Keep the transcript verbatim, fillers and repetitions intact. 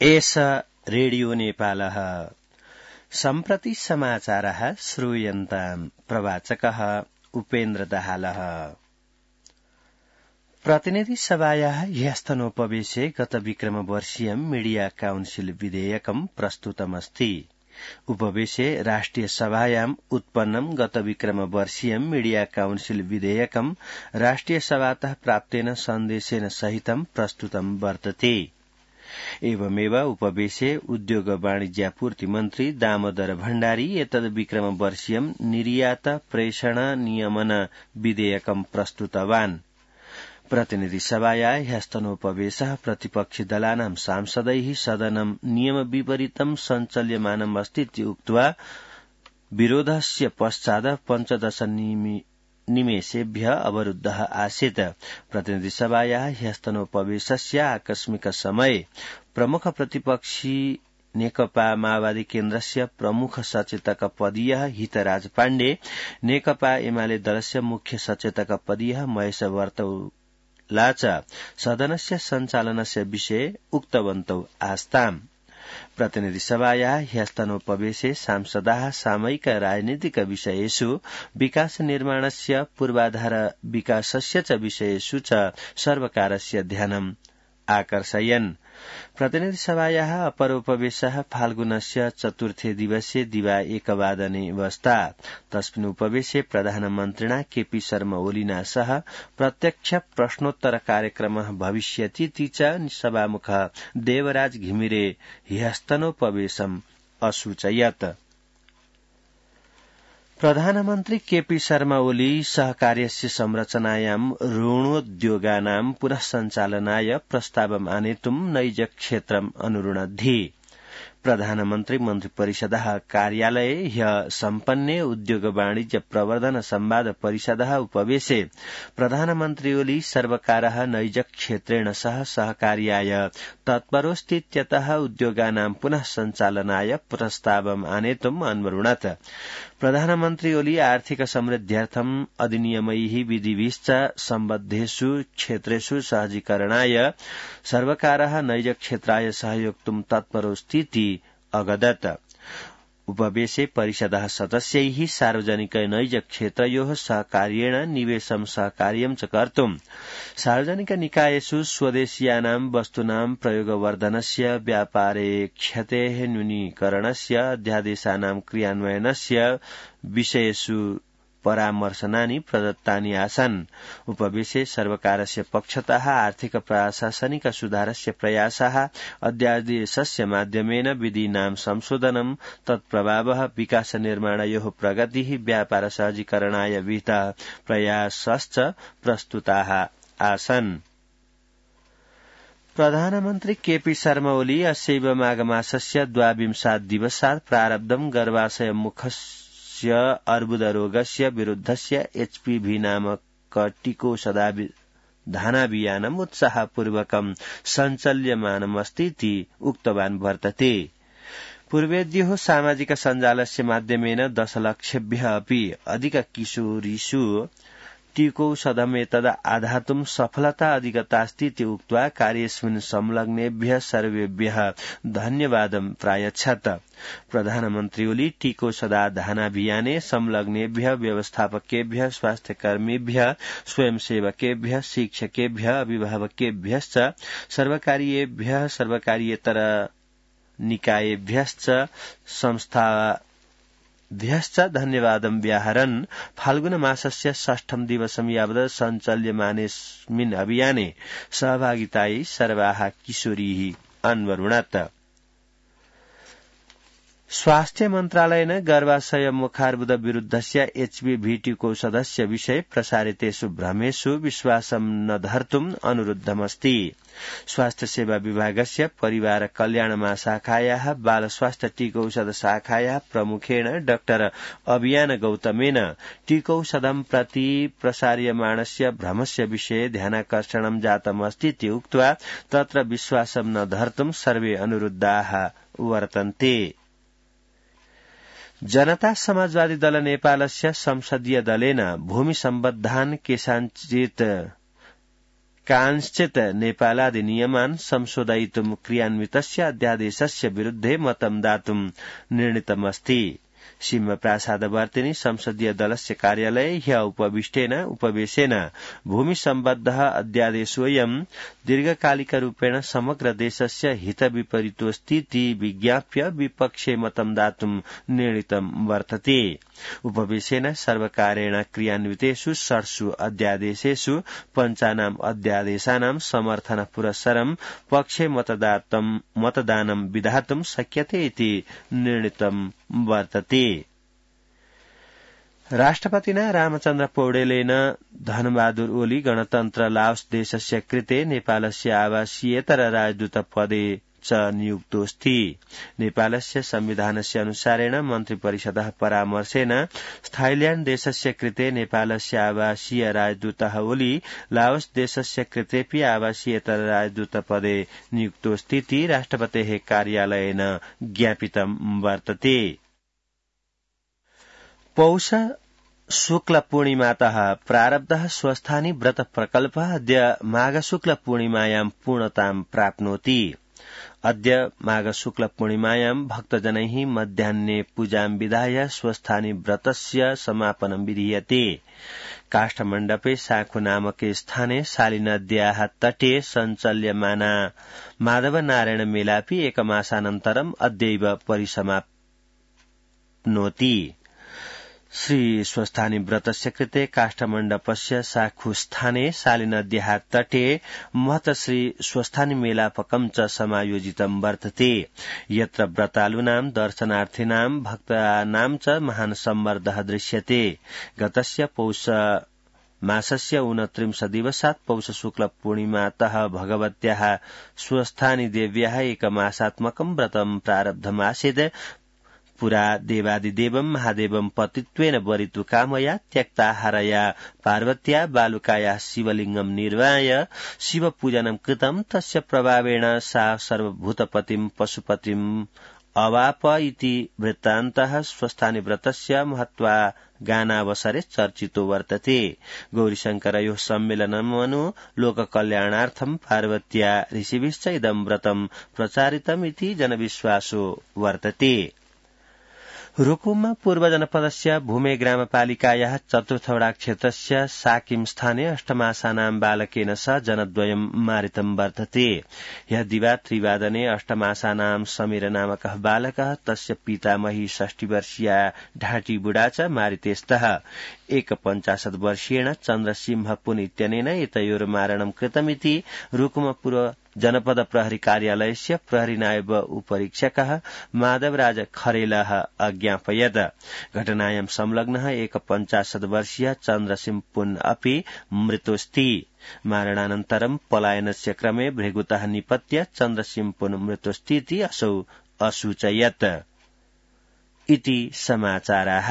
एष रेडियो नेपालः सम्प्रति समाचारः श्रूयन्ताम् प्रवाचकः उपेन्द्र दाहालः। प्रतिनिधि सभायाः ह्यस्तनोपवेशे गत विक्रमवर्षीयं मीडिया काउन्सिल विधेयकं प्रस्तुतमस्ति। उपवेशे राष्ट्रिय सभायाम् उत्पन्नं गत विक्रमवर्षीयं मीडिया काउन्सिल विधेयकं राष्ट्रिय सभातः प्राप्तेन सन्देशेन सहितं प्रस्तुतं वर्तते। एवमेव उपवेशे उद्योग वाणिज्यापूर्ति मन्त्री दामोदर भण्डारी एतद् विक्रमवर्षीयं निर्यात प्रेषण नियमन विधेयकं प्रस्तुतवान्। प्रतिनिधि सभाया ह्यस्तनोपवेशः प्रतिपक्षि दलानां सांसदैः सदनं नियम विपरीतं सञ्चल्यमानम् अस्तीति उक्त्वा विरोधस्य पश्चात् पञ्चदश निमेषेभ्यः अवरुद्धः आसीत्। प्रतिनिधि सभाया ह्यस्तनोपवेशस्य आकस्मिक समये प्रमुख प्रतिपक्षी नेकपा माओवादी केन्द्रस्य प्रमुख सचेतक पदीयः हितराज पाण्डे, नेकपा एमाले दलस्य मुख्य सचेतक पदीयः महेश वर्तौला च सदनस्य सञ्चालनस्य विषये उक्तवन्तौ आस्ताम्। प्रतिनिधि सभायाः ह्यस्तनोपवेशे सांसदाः सामयिक राजनीतिक विषयेषु विकास निर्माणस्य पूर्वाधार विकासस्य च विषयेषु च सर्वकारस्य ध्यानम् आकर्षयन्। प्रतिनिधि सभायाः अपरोपवेशः फाल्गुनस्य चतुर्थे दिवसे दिवा एकवादने अवस्थात्। तस्मिन् उपवेशे प्रधानमन्त्रिणा केपी शर्मा ओलिना सह प्रत्यक्ष प्रश्नोत्तर कार्यक्रमः भविष्यतीति च सभामुखः देवराज घिमिरे ह्यस्तनोपवेशम् असूचयत्। प्रधानमन्त्री केपी शर्मा ओली सहकार्यस्य संरचनायां ऋणोद्योगानां पुनः सञ्चालनाय प्रस्तावम् आनेतुम् नैज क्षेत्रम् अनुरुणद्धि। प्रधानमन्त्री मन्त्रिपरिषदः कार्यालये ह्यः सम्पन्ने उद्योग वाणिज्य प्रवर्धन संवाद परिषदः उपवेशे प्रधानमन्त्री ओली सर्वकारः नैज क्षेत्रेण सह सहकार्याय तत्परोऽस्तीत्यतः उद्योगानां पुनः सञ्चालनाय प्रस्तावम् आनेतुम् अन्वरुणत्। प्रधानमन्त्री ओली आर्थिक समृद्ध्यर्थम् अधिनियमैः विधिभिश्च सम्बद्धेषु क्षेत्रेषु सहजीकरणाय सर्वकारः नैज क्षेत्राय सहयोक्तुम् तत्परोऽस्तीति अगदत्। उपवेशे परिषदः सदस्यैः सार्वजनिक नैज क्षेत्रयोः सहकार्येण निवेशं सहकार्यं च कर्तुम् सार्वजनिक निकायेषु स्वदेशीयानां वस्तूनां प्रयोगवर्धनस्य व्यापारे क्षतेः न्यूनीकरणस्य अध्यादेशानां क्रियान्वयनस्य विषयेषु परामर्शनानि प्रदत्तानि आसन्। उपवेशे सर्वकारस्य पक्षतः आर्थिक प्रशासनिक सुधारस्य प्रयासः अध्यादेशस्य माध्यमेन विधीनां संशोधनं तत्प्रभावः विकास निर्माणयोः प्रगतिः व्यापार सहजीकरणाय विहितः प्रयासश्च प्रस्तुताः आसन्। प्रधानमन्त्री केपी शर्मा ओली अस्यैव माघमासस्य द्वाविंशात् दिवसात् प्रारब्धं गर्भाशय मुखस्य अर्बुदरोगस्य विरुद्धस्य एचपीवी नामक टीकोषधानाभियानम् उत्साहपूर्वकं सञ्चाल्यमानमस्तीति उक्तवान् वर्तते। पूर्वेद्योः सामाजिक सञ्जालस्य माध्यमेन दशलक्षेभ्यः अपि अधिक किशोरीषु टीकौषधमेतद् आधातुं सफलता अधिगतास्तीति उक्त्वा कार्येऽस्मिन् संलग्नेभ्यः सर्वेभ्यः धन्यवादं प्रायच्छत्। प्रधानमन्त्री ओली टीकोषधानाभियाने संलग्नेभ्यः व्यवस्थापकेभ्यः स्वास्थ्यकर्मीभ्यः स्वयंसेवकेभ्यः शिक्षकेभ्यः अभिभावकेभ्यश्च सर्वकारीयेभ्यः सर्वकारीयेतर निकायेभ्यश्च संस्था भ्यश्च धन्यवादं व्याहरन् फाल्गुन मासस्य षष्ठं दिवसं यावत् सञ्चाल्यमानेऽस्मिन् अभियाने सहभागितायै सर्वाः किशोरीः अन्वरुणत्। स्वास्थ्य मन्त्रालयेन गर्भाशय मुखार्बुद विरुद्धस्य एचपीवी टीकोषधस्य विषये प्रसारितेषु भ्रमेषु विश्वासं न धर्तुम् अनुरुद्धमस्ति। स्वास्थ्य सेवा विभागस्य परिवार कल्याण महाशाखायाः बाल स्वास्थ्य टीकौषध शाखायाः प्रमुखेण डाक्टर अभियान गौतमेन टीकौषधं प्रति प्रसार्यमाणस्य भ्रमस्य विषये ध्यानाकर्षणं जातमस्तीति उक्त्वा तत्र विश्वासं न धर्तुं सर्वे अनुरुद्धाः वर्तन्ते। जनता समाजवादी दल नेपालस्य संसदीय दलेन भूमि सम्बद्धान् केषाञ्चित् कांश्चित् नेपालाधिनियमान् संशोधयितुं क्रियान्वितस्य अध्यादेशस्य विरुद्धे मतं दातुं निर्णीतमस्ति। सिंहप्रासादवर्तिनी संसदीय दलस्य कार्यालये ह्य उपविष्टेन उपवेशेन भूमि सम्बद्ध अध्यादेशोऽयं दीर्घकालिकरूपेण समग्र देशस्य हितविपरीतोऽस्तीति विज्ञाप्य विपक्षे मतं दातुं निर्णीतं वर्तते। उपवेशेन सर्वकारेण क्रियान्वितेषु षट्सु अध्यादेशेषु पञ्चानाम् अध्यादेशानां समर्थन पुरस्सरं पक्षे मतदानं विधातुं शक्यते इति निर्णीतं वर्तते। राष्ट्रपतिना रामचन्द्र पौडेलेन धनबहादुर ओली गणतन्त्र लाओस देशस्य कृते नेपालस्य आवासीयेतर राजदूत पदे च नियुक्तोऽस्ति। नेपालस्य संविधानस्य अनुसारेण मन्त्रिपरिषदः परामर्शेन थाइल्याण्ड देशस्य कृते नेपालस्य आवासीय राजदूतः ओली लाओस देशस्य कृतेऽपि आवासीयेतर राजदूत पदे नियुक्तोऽस्तीति राष्ट्रपतेः कार्यालयेन ज्ञापितं वर्तते। पौष शुक्ल पूर्णिमातः प्रारब्धः स्वस्थानी व्रत प्रकल्पः अद्य माघ शुक्ल पूर्णिमायां पूर्णतां प्राप्नोति। अद्य माघ शुक्ल पूर्णिमायां भक्तजनैः मध्याह्ने पूजां विधाय स्वस्थानी व्रतस्य समापनं विधीयते। काष्ठमण्डपे साखु नामके स्थाने शालिनद्याः तटे सञ्चल्यमाना माधव नारायण मेलापि एकमासानन्तरम् अद्यैव परिसमाप्नोति। श्री स्वस्थानी व्रतस्य कृते काष्ठमण्डपस्य साखुस्थाने शालिनद्याः तटे महत श्री स्वस्थानी मेलापकं च समायोजितं वर्तते। यत्र व्रतालूनां दर्शनार्थिनां भक्तानां च महान् सम्मर्दः दृश्यते। गतस्य पौष मासस्य ऊनत्रिंश दिवसात् पौष शुक्ल पूर्णिमातः भगवत्याः स्वस्थानी देव्याः एकमासात्मकं व्रतं प्रारब्धमासीत्। पुरा देवादिदेवं महादेवं पतित्वेन वरितु कामया त्यक्ताहारया पार्वत्या बालुकाया शिवलिंगं निर्वाय शिवपूजनं कृतं। तस्य प्रभावेण सा सर्वभूतपतिं पशुपतिं अवाप इति वृत्तान्तः स्वस्थानी व्रतस्य महत्वा गानावसरे चर्चितो वर्तते। गौरीशंकरयोः सम्मेलनमनु लोककल्याणार्थं पार्वत्या ऋषिभिश्च इदं व्रतं प्रचारितमिति जनविश्वासो वर्तते। रुकुममा पूर्व जनपदस्य भूमे ग्रामपालिकायाः चतुर्थवडा क्षेत्रस्य साकिम स्थाने अष्टमासानां बालकेन सह जनद्वयं मारितं वर्तते। ह्यः दिवा त्रिवादने अष्टमासानां समीर नामकः बालकः तस्य पितामही षष्टिवर्षीया ढाटी बुढा च मारिते स्तः। एकपञ्चाशत् वर्षीयेण चन्द्रसिंह पुन इत्यनेन एतयोर्मारणं कृतमिति रुकुम पूर्व जनपद प्रहरी कार्यालयस्य प्रहरी नायब उपरीक्षकः माधवराज खरेलः अज्ञापयत्। घटनायां संलग्नः एकपञ्चाशत् वर्षीय चन्द्रसिंह पुन अपि मृतोऽस्ति। मारणानन्तरं पलायनस्य क्रमे भृगुतः निपत्य चन्द्रसिंह पुन मृतोऽस्तीति असौ असूचयत् इति समाचाराः।